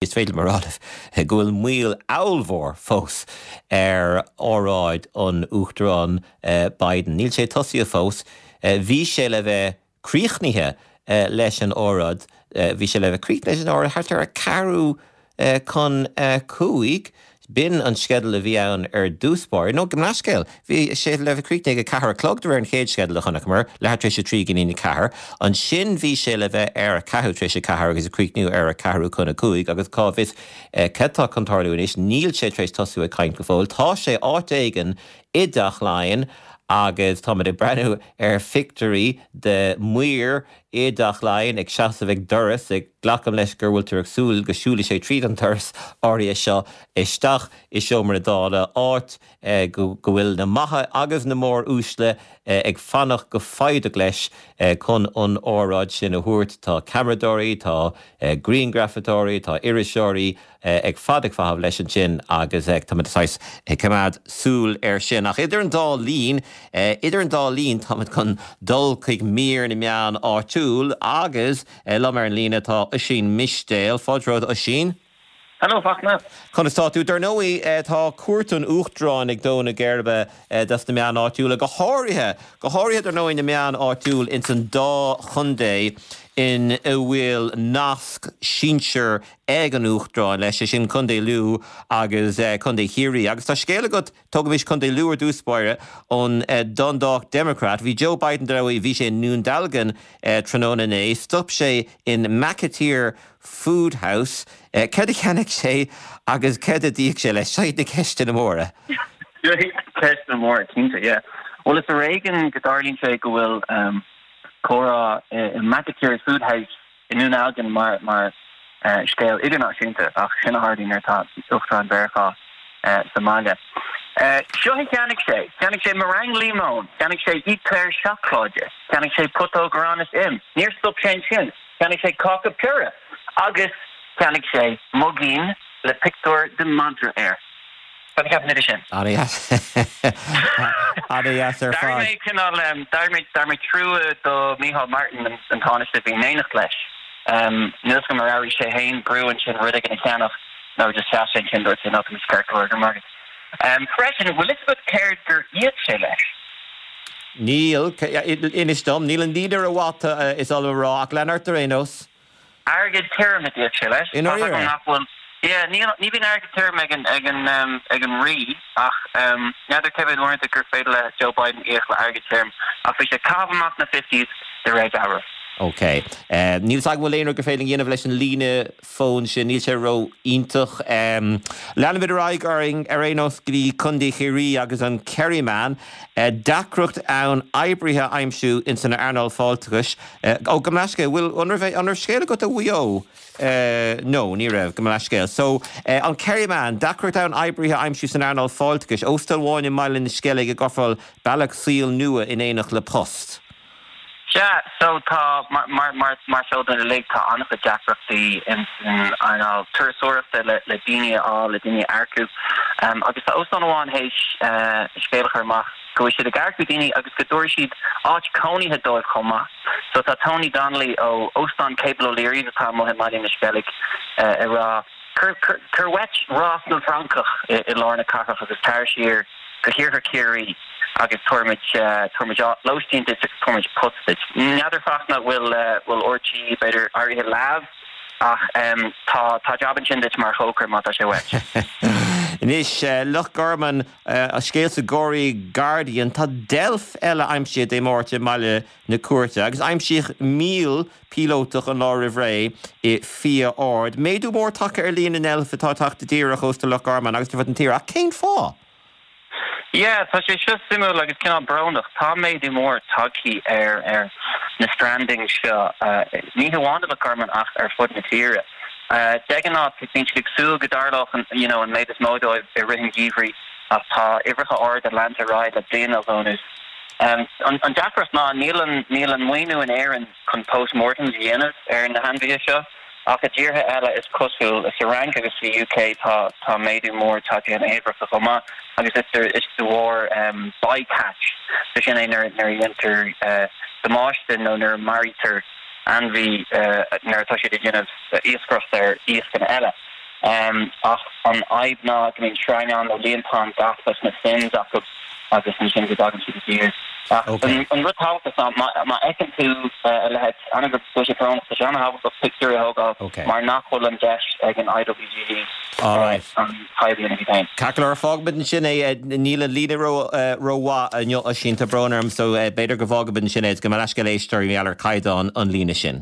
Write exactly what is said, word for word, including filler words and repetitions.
Is féidir liom a rá libh go bhfuil moill ollmhór fós ar óráid an Uachtaráin Biden. Níl sé tosaithe fós. Bhí sé le bheith críochnaithe leis an óráid, bhí sé le bheith críochnaithe leis an óráid thart ar a ceathrú chun a cúig. B'in an sceideal a bhí ann ar dtús báire. Nó, gabh mo leithscéal, bhí sé le bheith críochnaithe ag a ceathair a chlog de réir an chéad sceideal a chonaiceamar, leathuair tar éis a trí go dtí a ceathair. Ansin bhí sé le bheith ar a ceathrú tar éis a ceathair agus ag críochnú ar a ceathrú chun a cúig agus cá bhfios cad tá chun tarlú anois, níl sé tar éis tosú ag caint go fóill. Tá sé áit éigin i dTeach Laighean agus táimid ag breathnú ar phictiúirí de mhaoir i dTeach Laighean ag seasamh ag doras, ag glacaim leis gur bhfuiltear ag súil go siúlfaidh sé tríd an doras áirithe seo isteach i seomra na Dála, áit go bhfuil na maithe agus na móruaisle ag fanacht go foighdeach leis chun an óráid sin a thabhairt. Tá ceamaradóirí, tá grianghrafadóirí, tá iriseoirí ag fad ag feitheamh leis ansin agus táimid saghas ag coimeád súil air sin. Ach idir an dá linn, idir an dá linn táimid chun dul chuig mír na meán áitiúil agus liom ar an líne tá Oisín Mistéil. Fáilte romhat Oisín. Hello Fachtna. Conas tá tú? Dar ndóigh tá cuairt an Uachtaráin ag dó na geirbe dos na meáin áitiúla, go háirithe, go háirithe dar ndóigh na meáin áitiúil ins an dá chontae in a bhfuil nasc sinsir ag an Uachtarán leis, sé sin Contae Lú agus Contae Chiarraí. Agus tá scéal agat, tógaimis Contae Lú ar dtús báire, ón Dundalk Democrat. Bhí Joe Biden dar ndóigh, bhí sé i nDún Dealgan tráthnóna inné, stop sé in McAteer Food House. Céard a cheannaigh sé agus céard a d'íoc sé leis? Seo iad na ceisteanna móra. Seo iad na ceisteanna móra, cinnte, yeah. Bhuel, is ar éigean go dtarlaíonn sé go bhfuil comhrá i McAteer's Food House i nDún Dealgan mar mar scéal idirnáisiúnta, ach sin a tharlaíonn nuair atá Uachtarán Mheiriceá sa mbaile. Seo a cheannaigh sé, cheannaigh sé meringue líomóin, cheannaigh sé eclair seacláide, cheannaigh sé putóg arán is im. Níor stop sé ansin, cheannaigh sé cáca piorra agus cheannaigh sé muigín le pictiúr de mhadra air. Cad a cheapann tú de sin? Ana-dheas. Ana-dheas ar fad. D'airigh mé cineál, d'airigh mé, d'airigh mé trua do Micheál Martin, an Tánaiste a bhí in éineacht leis. Níl 'fhios agam ar airigh sé féin brú ansin rud éigin a cheannach nó just sheas sé ansin dúirt sé no tá mise ceart go leor, go raibh maith agat. Freisin, bhfuil fhios agat céard gur íoc sé leis? Níl, inis dom, níl an líne rómhaith is oth liom a rá ach lean ort ar aon nós. Airgead tirim a d'íoc sé leis. I ndáiríre? Nach bhfuil, yeah, ní, ní bhíonn airgead tirim ag an, ag an, ag an rí ach n'fheadar cé mhéad uaireanta gur féidir le Joe Biden íoc le airgead tirim ach bhí sé ag caitheamh amach na fifties de réir dealraimh. Ok. Níl 'fhios agam an bhfuil aon rud gur féidir linn a dhéanamh leis an líne fóin sin, níl sé ró-iontach. Leanfaimid ar aghaidh orainn ar aon nós go dtí Contae Chiarraí agus an Kerryman. Deacracht ann oibrithe a aimsiú ins an earnáil fáilteachais. Ó, gabh mo leithscéal, bhfuil, an raibh, an raibh scéal agat ó Mhaigh Eo? No, ní raibh, gabh mo leithscéal. So, an Kerryman, deacracht ann oibrithe a aimsiú san earnáil fáilteachais. Óstán amháin i mBaile na Sceilge ag ofráil bealach saoil nua in éineacht le post. Sea, so tá, mar, mar, mar, mar is eol dúinn uilig, tá an-chuid deacrachtaí in san earnáil turasóireachta le, le daoine a fháil, le daoine a earcú. Agus tá óstán amháin théis scéal a chur amach go bhfuil siad ag earcú daoine agus go dtabharfaidh siad áit cónaithe dóibh chomh maith. So tá Tony Donnelly ó Óstán Cable O'Leary's atá amuigh i mBaile na Sceilge ag rá, Cuir, cuir, cuir uait Ros na bhFrancach i, i lár na cathrach agus tar siar go hiarthar Chiarraí agus tabharfaimid, tabharfaimid lóistín duit agus tabharfaimid post duit. N'fheadar Fachtna bhfuil, bhfuil RTÉ b'fhéidir éirithe leamh ach tá, tá jab ansin duit mar chócaire má tá sé uait. Anois, Loch Garman, scéal sa Gorey Guardian, tá deilf eile aimsithe Dé Máirt i mBaile na Cúirte agus aimsíodh míol píolótach an lá roimh ré i Fia Ard. Méadú mór tagtha ar líon na ndeilf atá ag teacht i dtír ar chósta Loch Garman agus ar fud na tíre. Ach cén fáth? Yeah, tá sé seo suimiúil agus cineál brónach. Tá méadú mór tagtha ar ar na strandings seo, ní hamháin i Loch Garman ach ar fud na tíre. De ghnáth, bíonn siad ag súil go dtarlódh an you know an méid is mó dóibh i rith an gheimhridh ach tá uimhreacha arda leanta ar aghaidh le bliain nó dhó anuas. An deacracht ná níl an níl an maoiniú in Éirinn chun post-mortems a dhéanamh ar na hainmhithe seo. Ach i dtíortha eile is cosúil, sa Fhrainc agus sa UK tá tá méadú mór tagtha ar na huimhreacha chomh maith agus is de is de bharr bycatch, so sin é nuair nuair a dhéantar damáiste nó nuair a maraítear ainmhí nuair atá siad ag déanamh iascaireacht ar iascanna eile. Um, ach an fhadhb ná go mbíonn sreingeán nó líontán gafa leis na fins acu agus ansin go dtagann siad i dtír. Okay. An rud tábhachtach ná má fheiceann tú a leithéid ana go sé brón tá sé an-tábhachtach pictiúr a thógáil Okay. mar nach bhfuil an deis ag an IWGD All right. an tairbhí a féin. Ceart fágfaimid ansin é níl an líne rómhaith inniu sin tá brón orm so b'fhéidir go bhfágfaimid ansin é go leis go léisteir ar caighdeán an líne sin.